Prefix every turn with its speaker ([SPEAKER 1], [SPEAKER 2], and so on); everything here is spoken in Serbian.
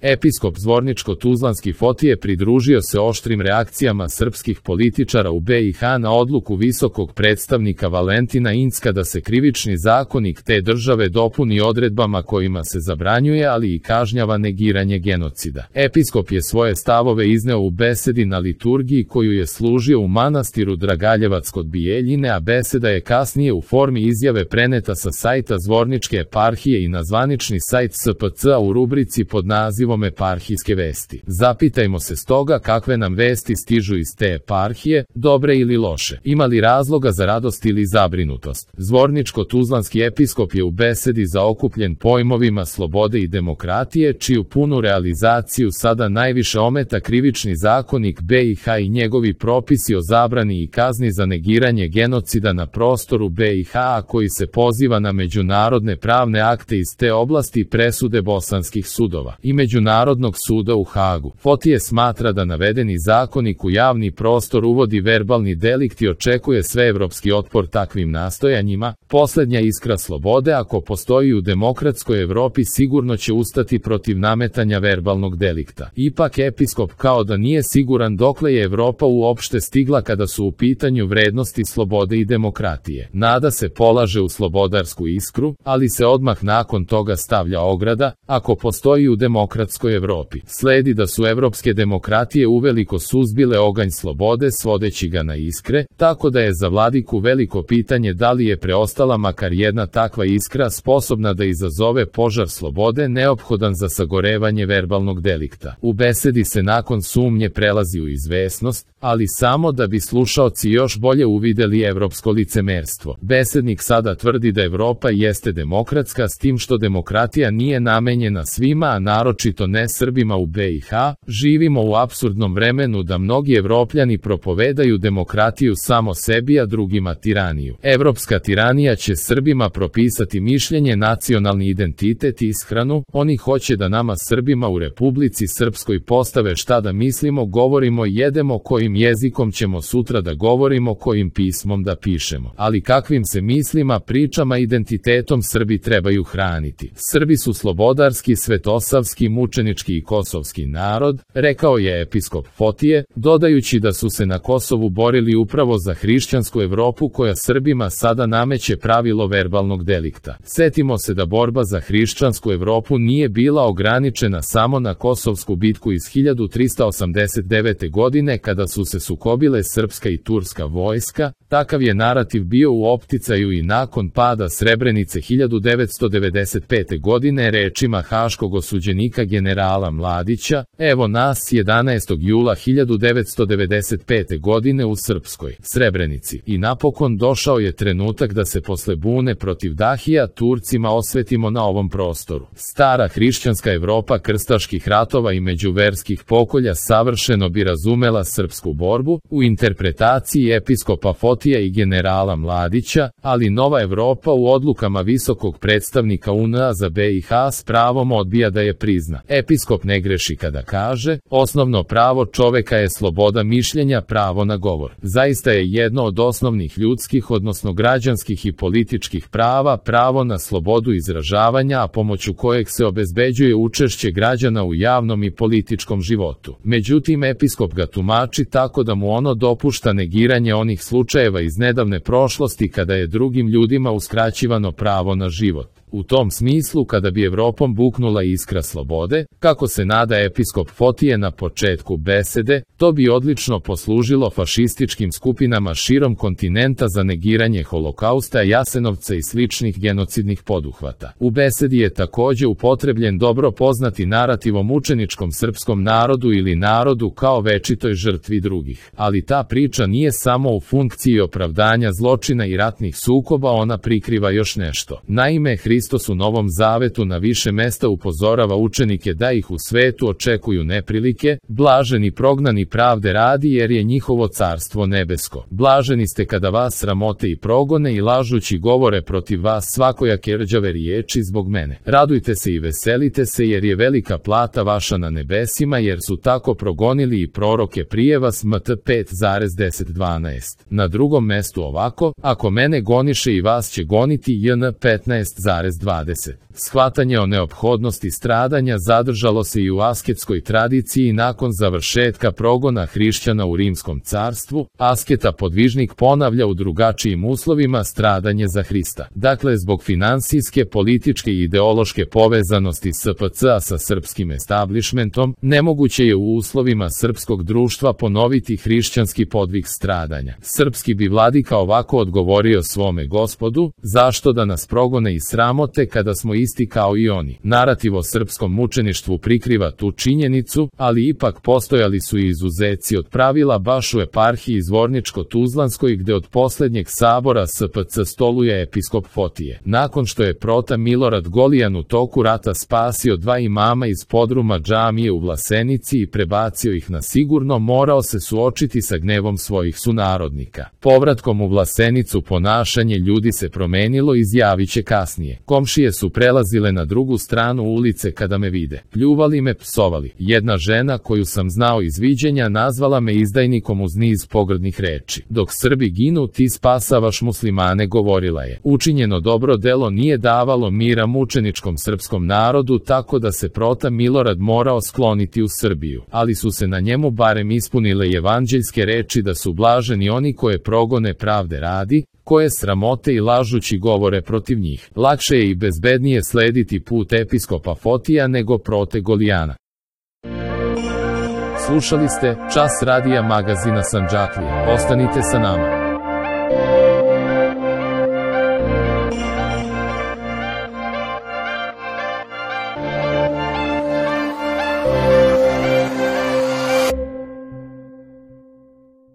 [SPEAKER 1] Episkop Zvorničko-Tuzlanski Fotije pridružio se oštrim reakcijama srpskih političara u BiH na odluku visokog predstavnika Valentina Incka da se krivični zakonik te države dopuni odredbama kojima se zabranjuje, ali i kažnjava negiranje genocida. Episkop je svoje stavove izneo u besedi na liturgiji koju je služio u manastiru Dragaljevac kod Bijeljine, a beseda je kasnije u formi izjave preneta sa sajta Zvorničke eparhije i na zvanični sajt SPC-a u rubrici pod nazivom Eparhijske vesti. Zapitajmo se stoga kakve nam vesti stižu iz te eparhije, dobre ili loše. Ima li razloga za radost ili zabrinutost? Zvorničko-Tuzlanski episkop je u besedi zaokupljen pojmovima slobode i demokratije, čiju punu realizaciju sada najviše ometa krivični zakonik BiH i njegovi propisi o zabrani i kazni za negiranje genocida na prostoru BiH, a koji se poziva na međunarodne pravne akte iz te oblasti i presude bosanskih sudova i Međunarodnog suda u Hagu. Fotije smatra da navedeni zakonik u javni prostor uvodi verbalni delikt i očekuje sveevropski otpor takvim nastojanjima. Poslednja iskra slobode, ako postoji u demokratskoj Evropi, sigurno će ustati protiv nametanja verbalnog delikta. Ipak episkop kao da nije siguran dokle je Evropa uopšte stigla kada su u pitanju vrednosti slobode i demokratije. Nada se polaže u slobodarsku iskru, ali se odmah nakon toga stavlja ograda: ako postoji u demokratskoj Evropi. Sledi da su evropske demokratije uveliko suzbile oganj slobode svodeći ga na iskre, tako da je za vladiku veliko pitanje da li je preostala makar jedna takva iskra sposobna da izazove požar slobode neophodan za sagorevanje verbalnog delikta. U besedi se nakon sumnje prelazi u izvesnost, ali samo da bi slušaoci još bolje uvideli evropsko licemerstvo. Besednik sada tvrdi da Evropa jeste demokratska, s tim što demokratija nije namenjena svima, a naročito ne Srbima u BiH. Živimo u apsurdnom vremenu da mnogi Evropljani propovedaju demokratiju samo sebi, a drugima tiraniju. Evropska tiranija će Srbima propisati mišljenje, nacionalni identitet i ishranu. Oni hoće da nama Srbima u Republici Srpskoj postave šta da mislimo, govorimo, jedemo, kojim jezikom ćemo sutra da govorimo, kojim pismom da pišemo. Ali kakvim se mislima, pričama, identitetom Srbi trebaju hraniti? Srbi su slobodarski, svetosavski, mučenički i kosovski narod, rekao je episkop Fotije, dodajući da su se na Kosovu borili upravo za hrišćansku Evropu koja Srbima sada nameće pravilo verbalnog delikta. Setimo se da borba za hrišćansku Evropu nije bila ograničena samo na Kosovsku bitku iz 1389. godine kada su se sukobile srpska i turska vojska. Takav je narativ bio u opticaju i nakon pada Srebrenice 1995. godine, rečima haškog osuđenika generala Mladića: evo nas 11. jula 1995. godine u srpskoj Srebrenici. I napokon došao je trenutak da se posle bune protiv Dahija Turcima osvetimo na ovom prostoru. Stara hrišćanska Evropa krstaških ratova i međuverskih pokolja savršeno bi razumela srpsku borbu u interpretaciji episkopa Fotija i generala Mladića, ali nova Evropa u odlukama visokog predstavnika UN-a za BiH s pravom odbija da je prizna. Episkop ne greši kada kaže: osnovno pravo čoveka je sloboda mišljenja, pravo na govor. Zaista je jedno od osnovnih ljudskih, odnosno građanskih i političkih prava, pravo na slobodu izražavanja, a pomoću kojeg se obezbeđuje učešće građana u javnom i političkom životu. Međutim, episkop ga tumači tako da mu ono dopušta negiranje onih slučajeva iz nedavne prošlosti kada je drugim ljudima uskraćivano pravo na život. U tom smislu, kada bi Evropom buknula iskra slobode, kako se nada episkop Fotije na početku besede, to bi odlično poslužilo fašističkim skupinama širom kontinenta za negiranje Holokausta, Jasenovca i sličnih genocidnih poduhvata. U besedi je takođe upotrebljen dobro poznati narativ o mučeničkom srpskom narodu ili narodu kao večitoj žrtvi drugih. Ali ta priča nije samo u funkciji opravdanja zločina i ratnih sukoba, ona prikriva još nešto. Naime, Hristos u Novom Zavetu na više mesta upozorava učenike da ih u svetu očekuju neprilike, blaženi prognani pravde radi jer je njihovo carstvo nebesko. Blaženi ste kada vas sramote i progone i lažući govore protiv vas svakojake rđave riječi zbog mene. Radujte se i veselite se jer je velika plata vaša na nebesima, jer su tako progonili i proroke prije vas. Mt 5,10-12. Na drugom mestu ovako: ako mene goniše i vas će goniti. Jn 15,20. Shvatanje o neophodnosti stradanja zadržalo se i u asketskoj tradiciji nakon završetka progona hrišćana u Rimskom carstvu. Asketa podvižnik ponavlja u drugačijim uslovima stradanje za Hrista. Dakle, zbog finansijske, političke i ideološke povezanosti SPC-a sa srpskim establishmentom, nemoguće je u uslovima srpskog društva ponoviti hrišćanski podvig stradanja. Srpski bi vladika ovako odgovorio svome Gospodu: zašto da nas progone i sramote kada smo isti kao i oni? Narativ o srpskom mučeništvu prikriva tu činjenicu, ali ipak postojali su i izuzeci od pravila baš u eparhiji Zvorničko-Tuzlanskoj, gde od poslednjeg sabora SPC stoluje episkop Fotije. Nakon što je prota Milorad Golijan u toku rata spasio 2 imama iz podruma džamije u Vlasenici i prebacio ih na sigurno, morao se suočiti sa gnevom svojih sunarodnika. Povratkom u Vlasenicu ponašanje ljudi se promenilo, izjaviće kasnije. Komšije su prelazile na drugu stranu ulice kada me vide. Pljuvali me, psovali. Jedna žena koju sam znao iz viđenja nazvala me izdajnikom uz niz pogrdnih reči. Dok Srbi ginu, ti spasavaš muslimane, govorila je. Učinjeno dobro delo nije davalo mira mučeničkom srpskom narodu, tako da se prota Milorad morao skloniti u Srbiju. Ali su se na njemu barem ispunile evanđeljske reči da su blaženi oni koje progone pravde radi, koje sramote i lažući govore protiv njih. Lakše je i bezbednije slediti put episkopa Fotija nego prote Golijana. Slušali ste Čas radija magazina Sandžaklija. Ostanite sa nama.